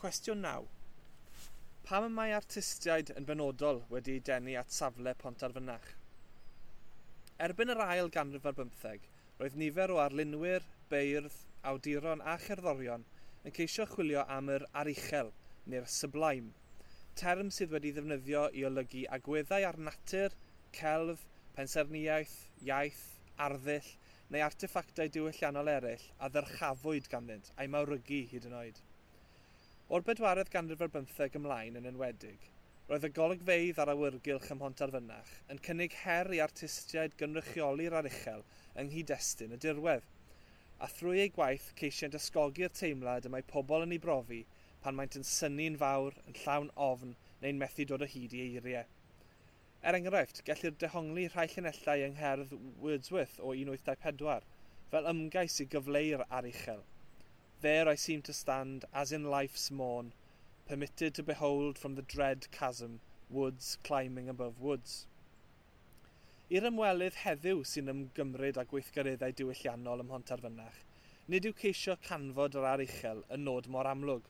Cwestiwn 9. Pam y mae artistiaid yn benodol wedi eu denu at safle Pontarfynach? Erbyn yr ail ganrif ar bymtheg, roedd nifer o arlunwyr, beirdd, awduron a cherddorion yn ceisio chwilio am yr aruchel, neu'r sublime, term sydd wedi ddefnyddio i olygu agweddau ar natur, celf, pensaernïaeth, iaith, arddull neu arteffactau diwylliannol eraill a ddyrchafwyd ganddynt a'i mawrygu hyd yn oed. O'r bedwaredd ganrif ar bymtheg ymlaen yn enwedig, roedd y golygfeydd ar awyrgylch ym Mhontarfynach yn cynnig her i artistiaid gynrychioli'r aruchel yng nghyd-destun y dirwedd, a thrwy eu gwaith ceisient ysgogi'r teimlad y mae pobl yn ei brofi pan maent yn synnu'n fawr, yn llawn ofn neu'n methu dod o hyd i eiriau. Er enghraifft, gellir dehongli rhai llinellau yng ngherdd Wordsworth o 1824 fel ymgais i gyfleu'r aruchel. "There I seem to stand, as in life's morn, permitted to behold from the dread chasm, woods climbing above woods." I'r ymwelydd heddiw sy'n ymgymryd â gweithgareddau diwylliannol ym Mhontarfynach, nid yw ceisio canfod yr aruchel yn nod mor amlwg,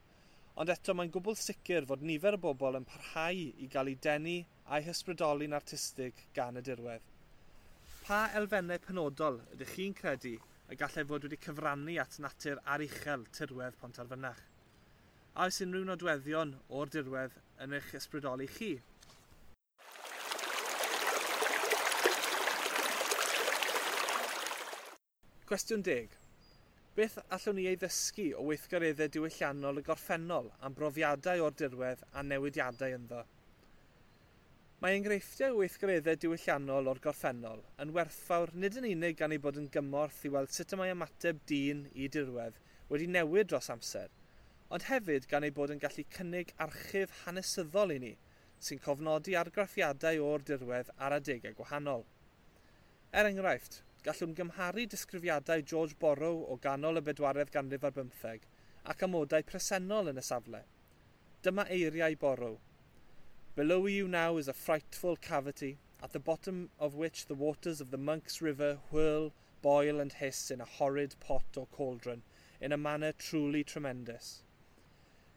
ond eto mae'n gwbl sicr fod nifer o bobl yn parhau i gael eu denu a'i hysbrydoli'n artistig gan y dirwedd. Pa elfennau penodol ydych chi'n credu y gallai fod wedi cyfrannu at natur aruchel tirwedd Pontarfynach? A oes unrhyw nodweddion o'r dirwedd yn eich ysbrydoli chi? Cwestiwn 10. Beth allwn ni ei ddysgu o weithgareddau diwylliannol y gorffennol am brofiadau o'r dirwedd a newidiadau ynddo? Mae enghreifftiau o weithgareddau diwylliannol o'r gorffennol yn werthfawr nid yn unig gan ei bod yn gymorth i weld sut y mae ymateb dyn i dirwedd wedi newid dros amser, ond hefyd gan ei bod yn gallu cynnig archif hanesyddol i ni sy'n cofnodi argraffiadau o'r dirwedd ar adegau gwahanol. Er enghraifft, gallwn gymharu disgrifiadau George Borrow o ganol y bedwaredd ganrif ar bymtheg ac amodau presennol yn y safle. Dyma eiriau Borrow. "Below you now is a frightful cavity, at the bottom of which the waters of the Monk's River whirl, boil and hiss in a horrid pot or cauldron, in a manner truly tremendous."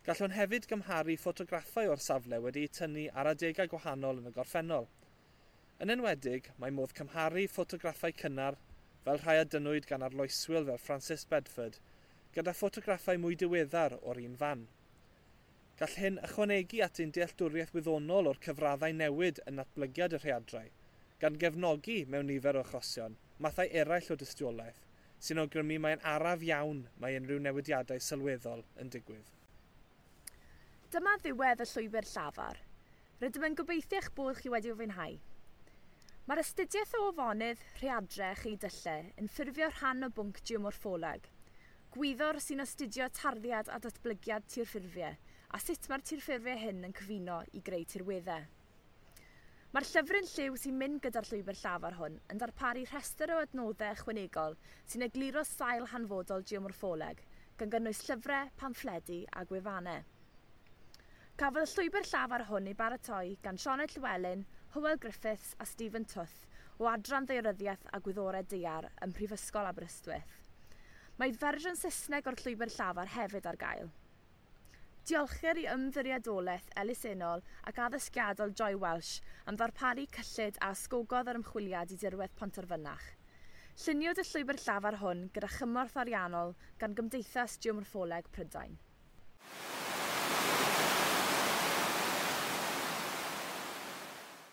Gallwn hefyd gymharu ffotograffau o'r safle wedi'u tynnu ar adegau gwahanol yn y gorffennol. Yn enwedig, mae modd cymharu ffotograffau cynnar, fel rhai a dynnwyd gan arloeswyr fel Francis Bedford, gyda ffotograffau mwy diweddar o'r un fan. Gall hyn ychwanegu at ein dealltwriaeth wyddonol o'r cyfraddau newid yn natblygiad y rhaeadrau, gan gefnogi mewn nifer o achosion mathau eraill o dystiolaeth, sy'n awgrymu mae'n araf iawn mae unrhyw newidiadau sylweddol yn digwydd. Dyma ddiwedd y llwybr llafar. Rydym yn gobeithio eich bod chi wedi fwynhau. Mae'r astudiaeth o afonydd, rhaeadrau a cheudyllau yn ffurfio rhan o bwnc geomorffoleg. Gwyddor sy'n astudio tarddiad a datblygiad tirffurfiau a sut mae'r tirffurfiau hyn yn cyfuno i greu tirweddau. Mae'r llyfryn lliw sy'n mynd gyda'r llwybr llafar hwn yn darparu rhestr o adnoddau ychwanegol sy'n egluro sail hanfodol geomorffoleg, gan gynnwys llyfrau, pamffledi a gwefannau. Cafodd y llwybr llafar hwn ei baratoi gan Sioned Llywelyn, Hywel Griffiths a Stephen Tuth o Adran Ddaearyddiaeth a Gwyddorau Daear ym Mhrifysgol Aberystwyth. Mae fersiwn Saesneg o'r llwybr llafar hefyd ar gael. Diolchir i Ymddiriedolaeth Elusennol ac Addysgiadol Joy Welsh am ddarparu cyllid a ysgogodd yr ymchwiliad i dirwedd Pontarfynach. Lluniwyd y llwybr llafar hwn gyda chymorth ariannol gan Gymdeithas Geomorffoleg Prydain.